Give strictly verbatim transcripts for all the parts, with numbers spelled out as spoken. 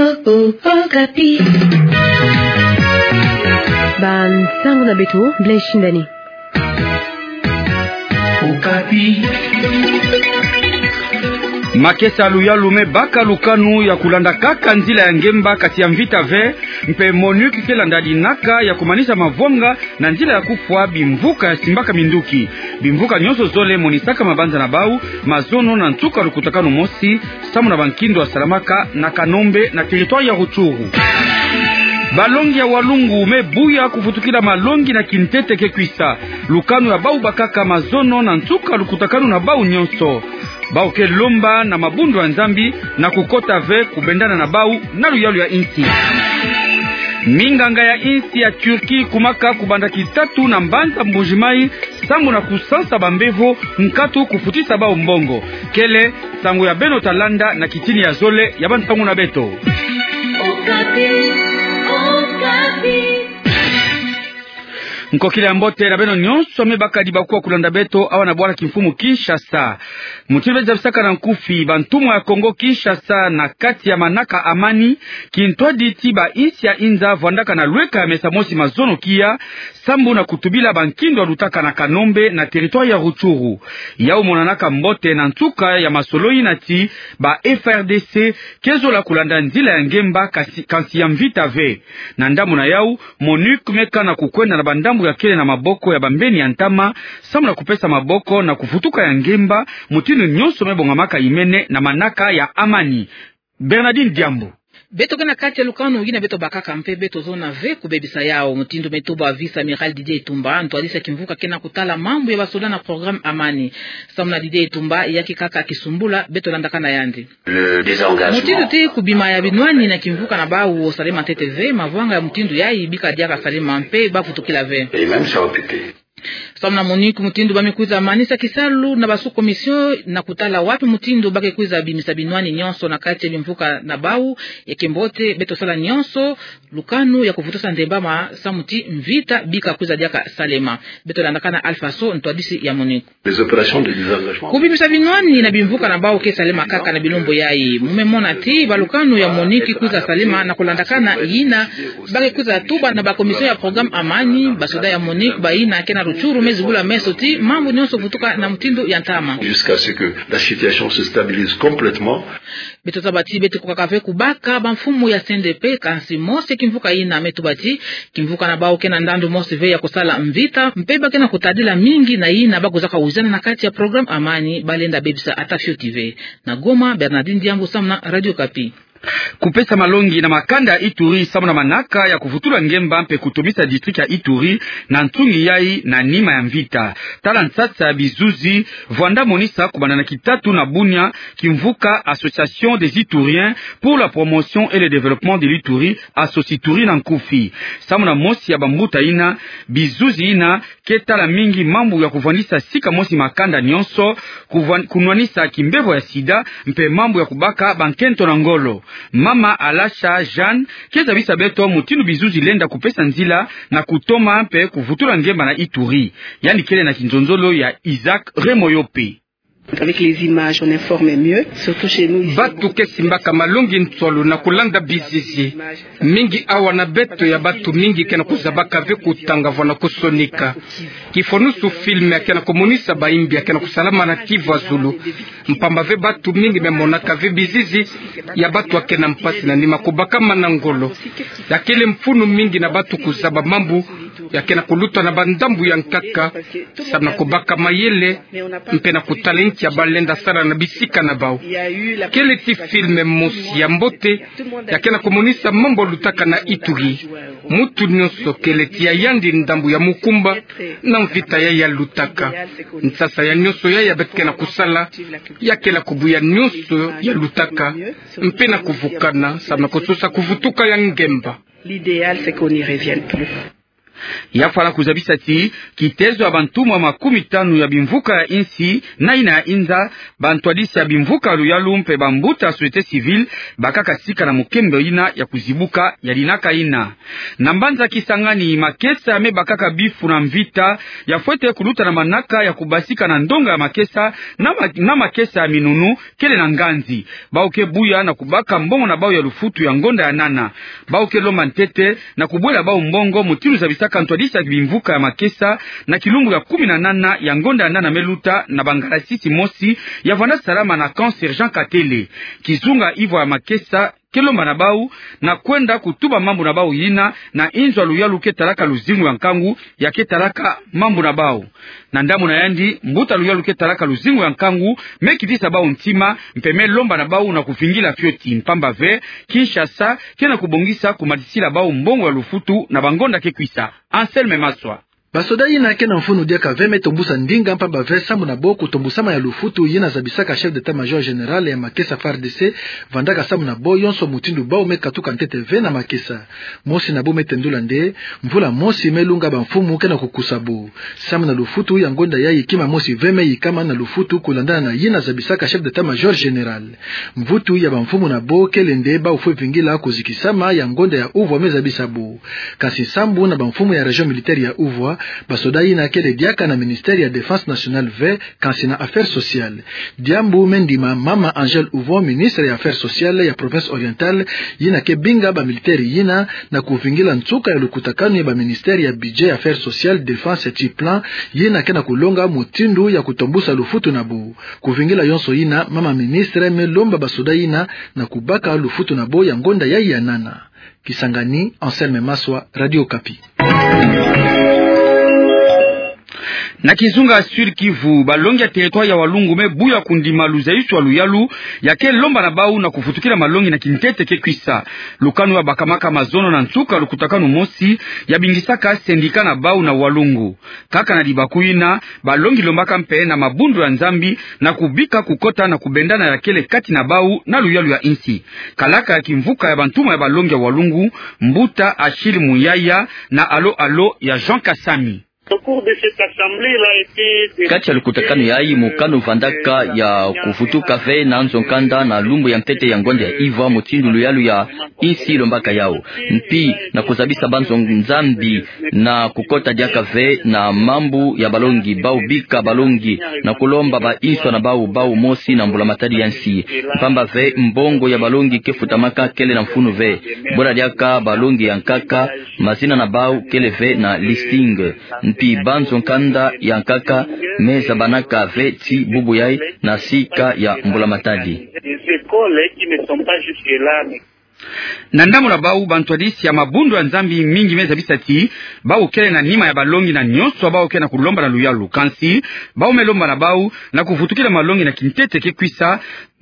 Okapi. Bansango na beto, Blaise Shindani. Okapi. Makesa luyalu me baka lukanu ya kulanda kaka nzila ya ngemba kati ya mvita ve, mpe MONUC ke landa dinaka ya kumanisa mavwanga na nzila ya kufwa bimvuka ya simbaka minduki. Bimvuka nyonso zole monisaka mabanza na bau mazono na nsuka lukutakanu mosi, samu na bankindo ya salamaka na Kanombe na territoire ya Rutshuru. Balongi ya Walungu me buya kuvutukila malongi na kintete ke kwisa. Lukanu ya bau bakaka mazono na nsuka lukutakanu na bau nyonso. Bau ke lomba na mabundu ya Nzambi na kukota ve kubendana na bau na luyalu ya insi. Minganga ya insi ya Turquie kumaka kubanda kitatu na mbanza Mbuji-Mayi, samu na kusansa bambevo nkatu kufutisa bau mbongo. Kele nsangu ya beno ta landa na kitini ya zole ya bansangu na beto. Okapi, Okapi. Nkokila ya mbote na beno nyonso me bakadi bakuwa kulanda beto awa na bwala kimfumu Kinshasa. Mutindu beno zabisaka na nkufi, bantumwa ya Kongo Kinshasa na kati ya manaka amani, kintwadi ti bainsi ya inza vwandaka na lweka ya mesa mosi mazono kia, sambu na kutubila bankindo ya lutaka na Kanombe na territoire ya Rutshuru. Yau monanaka mbote na nsuka ya masolo yina ti ba F A R D C ke zola kulanda nzila ya ngemba kasi, kansi ya mvita ve. Na ndambu na yau, MONUC me kana kukwenda na bandambu ya kele na maboko ya bambeni ya ntama, samu na kupesa maboko na kuvutuka ya ngemba, mutindu nyonso me bongamaka imene na manaka ya amani. Bernardine Diambu. Beto ke na kati ya lukanu yina beto bakaka mpe beto zona ve kubebisa yau, mutindu me tuba vice-amiral Didier Itumba, ntwadisi ya kimvuka ke na kutala mambu ya basoda na programme amani. Samu na Didier Itumba, ya ke kaka kisumbula, beto landaka na yandi. Le désengagement. Mutindu ti kubima ya binwani na kimvuka na bau salema ntete ve, mavwanga ya mutindu yayi bika diaka salema mpe bavutukila ve. Et même ça a occupé. Samu na MONUC, mutindu ba me kwiza manisa kisalu na ba sous-commission na kutala wapi mutindu ba ke kwiza bimisa binwani nyonso na kati ya bimvuka na bau, ya ke mbote beto sala nyonso lukanu ya kuvutusa ndembama samu ti mvita bika kwiza diaka salema. Beto landaka na Alpha So, ntwadisi ya MONUC. Les opérations de désengagement. Kubimisa binwani na bimvuka na bau ke salema kaka na bilumbu yayi. Mu me mona ti balukanu ya MONUC kwiza salema na kulandakana yina ba ke kwiza tuba na ba commission ya programme amani, basoda ya MONUC bayina ke na Rutshuru me zibula meso ti mambu nyonso vutuka na mutindu ya ntama. Jusqu'à ce que la situation se stabilise complètement. Beto zaba ti beto kwiza kaka ve kubaka bamfumu ya C N D P, kansi mosi ya kimvuka yina me tuba ti kimvuka na bau ke na ndandu mosi ve ya kusala mvita, mpe ba ke na kutadila mingi na yina ba kwizaka wizana na kati ya programme amani, ba lenda bebisa ata fioti ve. Na Goma, Bernardine Diambu samu na Radio Okapi. Kupesa malongi na makanda ya Ituri samu na manaka ya kuvutula ngemba mpe kutomisa district ya Ituri na nsungi yayi na nima ya mvita. Tala nsasa ya bizuzi vwanda monisa kubanda na kitatu na Bunia kimvuka Association des Ituriens pour la promotion et le développement de l'Ituri, Associ'Ituri na nkufi. Samu na mosi ya bambuta yina, bizuzi yina ke tala mingi mambu ya kuvwandisa sika mosi makanda nyonso, kuvwan-, kunwanisa kimbevo ya sida, mpe mambu ya kubaka bankento na ngolo. Mama Alasha Jeanne ke zabisa beto mutindu bizuzi lenda kupesa nzila na kutoma mpe kuvutula ngemba na Ituri. Yandi kele na kinzonzolo ya Isaac Remoyope. Avec les images, on informe mieux, surtout chez nous ici. Batu ke simbaka malongi nswalu na kulanda bizizi. Mingi awa na beto ya batu mingi ke na kuzabaka ve kutanga vwa na kusonika. Kifonusu film ya ke na kumonisa bayimbi ya ke na kusalama na Kivu ya zulu. Mpamba ve batu mingi me monaka ve bizizi ya batu ya ke na mpasi na nima kubakama na ngolo. Ya kele mfunu mingi na batu kuzaba mambu ya ke na kuluta na bandambu ya nkaka, samu na kubaka mayele, mpe na kutala nki ya ba lenda sala na bisika na bau. Kele ti film mosi ya mbote, ya ke na kumonisa mambu ya lutaka na Ituri. Mutu nyonso kele ti ya yandi ndambu ya mukumba na mvita yayi ya lutaka. Nsasa ya nyonso yayi ya beto ke na kusala, ya kele kubuya nyonso ya lutaka, mpe na kuvukana, samu na kusosa kuvutuka ya ngemba. L'idéal, c'est qu'on n'y revienne plus. Ya fwana kuzabisa ti kitezo ya bantumwa makumi tanu ya bimvuka ya insi na ina ya inza, bantwadisi ya bimvuka ya luyalu mpe bambuta ya société civile bakaka sika na mukembe ina ya kuzibuka ya dinaka ina. Na mbanza Kisangani, makesa me bakaka bifu na mvita ya fwete kuluta na manaka ya kubasika na ndonga ya makesa na ma-, na makesa ya minunu kele na nganzi. Bau ke buya na kubaka mbongo na bau ya lufutu ya ngonda ya nana. Bau ke lomba ntete na kubwela bau mbongo mutindu zabisaka ntwadisi ya bimvuka ya makesa na kilumbu ya kumi na nana ya ngonda ya nana me luta na bangalasisi mosi ya vanda salama na camp Sergent Katele. Kizunga ivwa ya makesa ke lomba na bau na kwenda kutuba mambu na bau yina na inzo ya luyalu ke talaka luzingu ya nkangu ya ke talaka mambu na bau. Na ndambu na yandi, mbuta luyalu ke talaka luzingu ya nkangu me kitisa bau ntima, mpe me lomba na bau na kuvingila fioti, mpamba ve Kinshasa ke na kubongisa kumatisila bau mbongo ya lufutu na bangonda ke kwisa. Anselme Maswa. Basoda yina ke na mfunu diaka ve me tombusa ndinga, mpamba ve sambu na bo kutombusama ya lufutu yina zabisaka chef d'état-major général ya makesa F A R D C vandaka sambu na bo yonso mutindu bau me katuka ntete ve na makesa. Mosi na bo me tendula nde, mvula mosi me lunga bamfumu ke na kukusa bo. Sambu na lufutu ya ngonda yayi kima mosi ve me yikama na lufutu kulandana na yina zabisaka chef d'état-major général. Mvutu ya bamfumu na bo kele nde bau fwe vingila kuzikisama ya ngonda ya uvwa me zabisa bo. Kansi sambu na bamfumu ya région militaire ya uvwa, basoda yina kele diaka na ministère ya Défense nationale ve, kansi na Affaires sociales. Diambu me ndima mama Angèle Uvon, ministre ya Affaires sociales ya province orientale, yina ke binga bamilitaire yina na kuvingila nsuka ya lukutakanu ya baministère ya Budget, Affaires sociales, Défense ti plan yina ke na kulonga mutindu ya kutombusa lufutu na bo. Kuvingila yonso yina, mama ministre me lomba basoda yina na kubaka lufutu na bo ya ngonda yayi ya nana. Kisangani, Anselme Maswa, Radio Okapi. Na kizunga Sud-Kivu, balongi ya territoire ya Walungu me buya kundima luzayiswa luyalu ya ke lomba na bau na kuvutukila malongi na kintete ke kwisa. Lukanu ya bakamaka mazono na nsuka lukutakanu mosi ya bingisaka syndicat na bau na Walungu. Kaka na libaku yina, balongi lombaka mpe na mabundu ya Nzambi na kubika kukota na kubendana ya kele kati na bau na luyalu ya insi. Kalaka ya kimvuka ya bantumwa ya balongi ya Walungu, mbuta Achille Muyaya na alo-alo ya Jean Kasami. Au cours de cette assemblée, il a été dé- Kati ya lukutakanu yayi, mokano vandaka ya kuvutuka ve na nzo-nkanda na lumbu ya ntete ya ngonda ya ivwa mutindu luyalu ya insi lombaka yau. Mpi na kuzabisa banzo-Nzambi na kukota diaka ve na mambu ya balongi, bau bika balongi na kulomba ba inswa na bau, bau mosi na mbula-matadi ya nsi. Mpamba ve mbongo ya balongi ke futamaka kele na mfunu ve. Bwela diaka balongi ya nkaka, mazina na bau kele ve na listing. Mpi banzo-nkanda ya nkaka me zabanaka ve ti bubu yayi na sika ya mbula-matadi. Des écoles qui ne sont pas jusque-là, mais Na ndambu na bau, bantwadisi ya mabundu ya Nzambi mingi me zabisa ti bau kele na nima ya balongi na nyonso bau ke na kulomba na luyalu. Kansi bau me lomba na bau na kuvutukila malongi na kintete ke kwisa,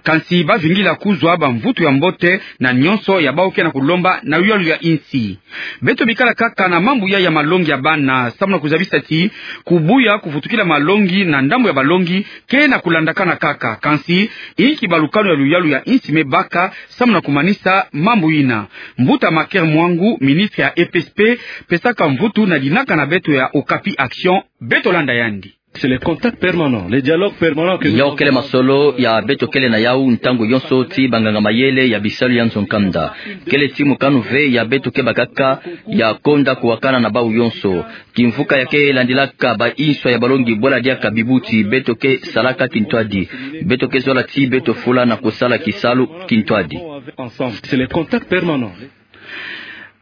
kansi ba vingila kuzwa bamvutu ya mbote na nyonso ya bau ke na kulomba na luyalu ya insi. Beto bikala kaka na mambu ya, ya malongi ya bana, samu na kuzabisa ti kubuya kuvutukila malongi na ndambu ya balongi ke na kulandakana kaka. Kansi inki balukanu ya luyalu ya insi me baka samu na kumanisa mambu yina? Mbuta Maker Mwangu, ministre ya E P S P, pesaka mvutu na dinaka na beto ya Okapi Action, beto landa yandi. C'est le contact permanent, le dialogue permanent que nous avons. Yau kele masolo ya beto kele na yau ntangu yonso ti banganga-mayele ya bisalu ya nzo-nkanda. Kele ti mokanu ve ya beto ke bakaka ya konda kuwakana na bau yonso. Kimvuka ya ke landilaka ba inswa ya balongi bwela diaka bibuti, beto ke salaka kintwadi. Beto ke zola ti beto fula na kusala kisalu kintwadi. Ensemble. C'est le contact permanent.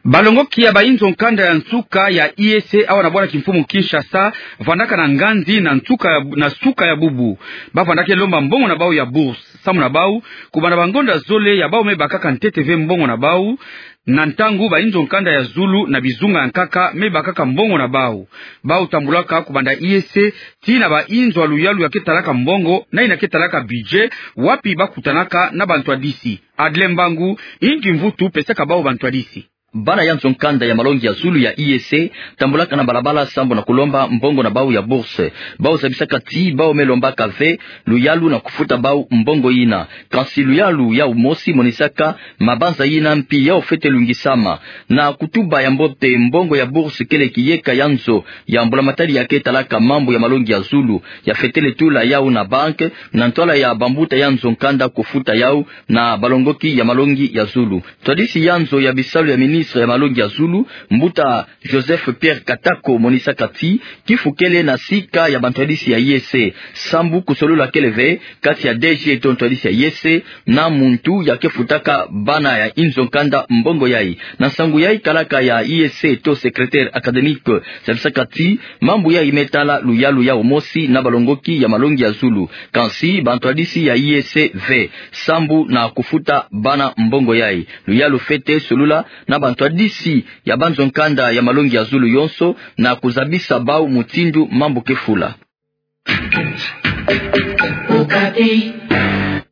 Balongoki ya ba inzo-nkanda ya nsuka ya I E C awa na bwala kimfumu Kinshasa vandaka na nganzi na nsuka ya, na suka ya bubu. Ba vandaka lomba mbongo na bau ya bourse. Samu na bau, kubanda bangonda zole ya bau me bakaka ntete ve mbongo na bau, na ntangu ba inzo-nkanda ya zulu na bizunga ya nkaka me bakaka mbongo na bau. Bau tambulaka kubanda I E C tii na ba inzo ya luyalu ya ke talaka mbongo, na yina ke talaka budget, wapi ba kutanaka na bantwadisi. Adle Mbangu, inki mvutu pesaka bau bantwadisi? Bana ya nzo nkanda ya malongi ya zulu ya I E C tambulaka na balabala sambu na kulomba mbongo na bau ya bourse. Bau zabisaka ti bau me lombaka ve luyalu na kufuta bau mbongo yina. Kansi luyalu yau mosi monisaka mabanza yina mpi yau fwete lungisama. Na kutuba ya mbote, mbongo ya bourse kele kiyeka ya nzo ya mbula matadi ya ke talaka mambu ya malongi ya zulu, ya fwetele tula yau na banque, na ntwala ya bambuta ya nzo nkanda kufuta yau na balongoki ya malongi ya zulu. Ntwadisi ya nzo ya bisalu ya ministre ya malongi ya zulu, mbuta Joseph Pierre Katako, monisaka ti kifu kele na sika ya bantwadisi ya I E C. Sambu kusolula kele ve kati ya D G to ntwadisi ya I E C na muntu ya ke futaka bana ya inzo nkanda mbongo yai. Na nsangu yai, kalaka ya I E C to secrétaire académique zabisaka ti mambu yai me tala luyalu yau mosi na balongoki ya malongi ya zulu. Kansi bantwadisi ya I E C ve sambu na kufuta bana mbongo yai. Luyalu fwete solula na bantwadisi ya banzo nkanda ya malongi ya zulu yonso na kuzabisa bau mutindu mambu ke fula.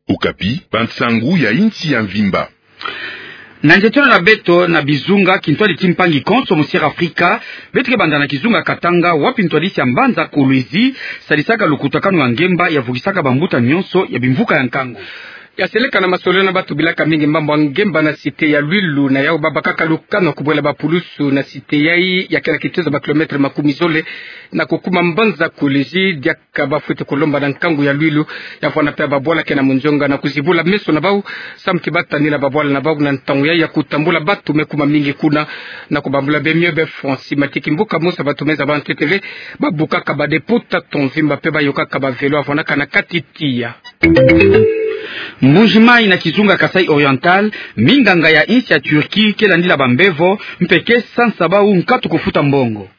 Okapi, bansangu ya insi ya mvimba. Na nzietolo na beto na bizunga, kintwadi ti mpangi konso mu Sierra Afrika, beto ke banda na kizunga Katanga, wapi ntwadisi ya mbanza Kolwezi sadisaka lukutakanu ya ngemba ya vukisaka bambuta nyonso ya bimvuka ya nkangu. Ya seleka na masololo na batu bilaka mingi mambu ya ngemba na cité ya Lwilu, na yau babakaka lukanu kubwela bapulusu na cité yai ya kele kitezo ba kilomètre makumi zole na kukuma mbanza Kolwezi, diaka bafwete kulomba na nkangu ya Lwilu ya vwanda mpe babwala ke na munzonga na kuzibula meso na bau, samu ti batanina babwala na bau na ntangu yai ya kutambula batu me kuma mingi kuna, na kubambula be mio be fonsi matiki mbuka musa batu meza bantu etele babukaka ba dépôt tata mvimba mpe bayokaka ba vélo ya vwandaka na kati tiya. Mbuji-Mayi na kizunga Kasaï Oriental, minganga ya insi ya Turquie ke landila bambevo, mpe ke sansa bau nkatu kufuta mbongo.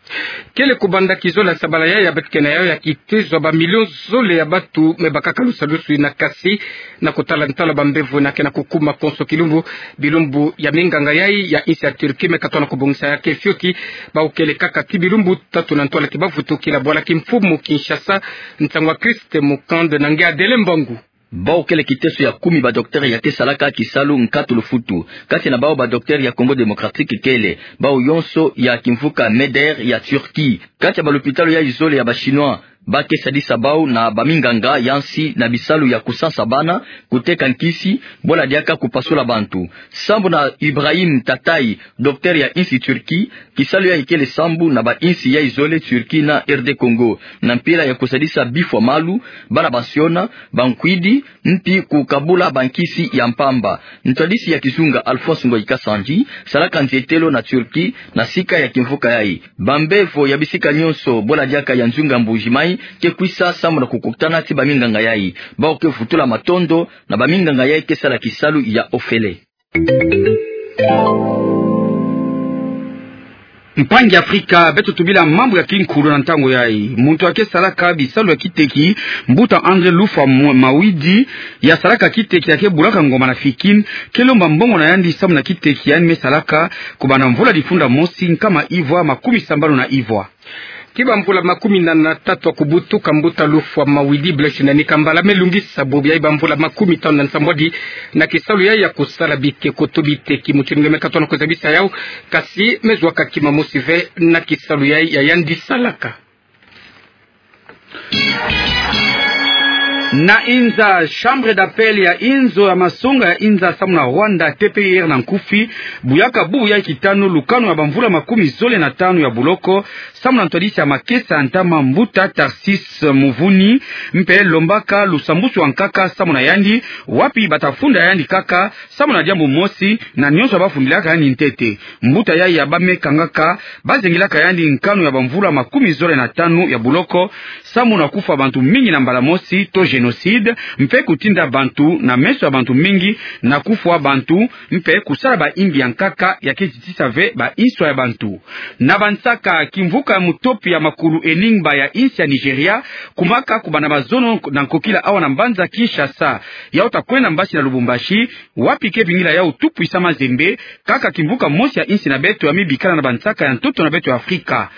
Kele kubanda kizola sabala yai ya beto ke na yau ya kitezo ba million zole ya batu me bakaka lusalusu yina, kasi na kutala ntala bambevo yina ke na kukuma konso kilumbu, bilumbu ya minganga yai ya insi ya Turquie me katona kubongisa ya ke fioti, bau kele kaka ti bilumbu tatu na ntwala ti bavutukila bwala kimfumu Kinshasa, ntangu ya Christ Mukande na nge Adele Mbangu. Bau kele kiteso ya kumi ba docteur ya ke salaka kisalu nkatu lufutu. Kati na bau ba docteur ya Congo Démocratique kele, bau yonso ya kimvuka MEDER ya Turquie. Kati ya balupitalu yai zole ya ba Chinois, ba ke sadisa bau na baminganga ya nsi na bisalu ya kusansa bana, kuteka nkisi, bwala diaka kupasula bantu. Sambu na Ibrahim Tatay, docteur ya insi Turquie, kisalu yai kele sambu na ba insi yai zole Turquie na R D Congo, na mpila ya kusadisa bifwa malu, bana bansiona, bankwidi, mpi kukabula bankisi ya mpamba. Ntwadisi ya kizunga Alphonse Ngoyi Kasandji salaka nzietelo na Turquie na sika ya kimvuka yai. Bambevo ya bisika nyonso, bwala diaka ya nzunga Mbuji-Mayi, ke kwisa sambu na kukutana ti baminganga yai. Bau ke vutula matondo na baminganga yai ke sala kisalu ya ofele. Mpangi Afrika, beto tubila mambu ya kinkulu na ntangu yai. Muntu ya ke salaka bisalu ya kiteki, mbuta André Lufwa Mu-, Mawidi, ya salaka kiteki ya ke bulaka ngoma na Fikin, ke lomba mbongo na yandi sambu na kiteki yandi me salaka kubanda mvula difunda mosi nkama ivwa makumi sambanu na ivwa. Ti bamvula makumi nana na tatu ya kubutuka, mbuta Lufwa Mawidi Blaise Nani Kambala me lungisa bobo yai bamvula makumi tanu na nsambwadi na kisalu yai ya kusala bikeko to biteki. Mutindu nge me katona kuzabisa yau, kasi me zwa ka kima mosi ve na kisalu yai ya yandi salaka. Na Inza, chambre d'appel ya inzo ya masonga ya Inza samu na Rwanda, T P I R na nkufi, buyaka bubu yai kitanu lukanu ya bamvula makumi zole na tanu ya buloko, samu na ntwadisi ya makesa ya ntama, mbuta Tarsis Muvuni, mpe lombaka lusambusu ya nkaka samu na yandi, wapi bata funda yandi kaka samu na diambu mosi na nyonso bafundilaka yandi ntete. Mbuta yai ya bamekangaka bazengilaka yandi nkanu ya bamvula makumi zole na tanu ya buloko, samu na kufwa bantu mingi na mbala mosi to génocide, mpe kutinda bantu na meso ya bantu mingi, na kufwa bantu, mpe kusala baimbi ya nkaka ya ke zitisa ve bainswa ya bantu. Na bansaka, kimvuka ya mutopi ya makulu Enigma ya insi ya Nigeria kumaka kubanda mazono na nkokila awa na mbanza Kinshasa. Yau ta kwenda mbasi na Lubumbashi, wapi ke vingila yau tout puissant Mazembe, kaka kimvuka mosi ya insi na beto ya me bikana na bansaka ya ntoto na beto ya Afrika.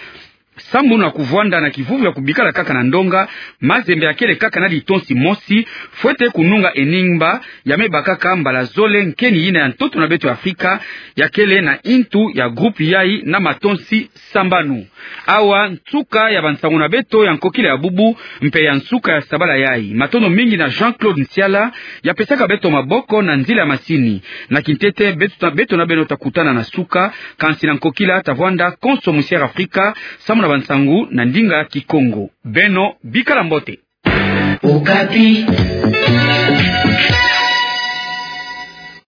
Sambu na kuvwanda na kivuvu ya kubikala kaka na ndonga, Mazembe akele kaka na litonsi mosi, fwete kununga eningba, ya me bakaka mbala zole nkeni yina ya ntoto na beto ya Afrika, ya kele na intu ya groupe yai na matonsi sambanu. Awa nsuka ya bansangu na beto ya nkokila ya bubu, mpe ya nsuka ya sabala yai. Matondo mingi na Jean-Claude Nsiala, ya pesaka beto maboko na nzila ya masini. Na kintete, beto ta-, beto na beno ta kutana na suka, kansi na nkokila ta vwanda konso musiere Afrika, samu na bansangu na ndinga Kikongo. Beno, bikala mbote. Okapi.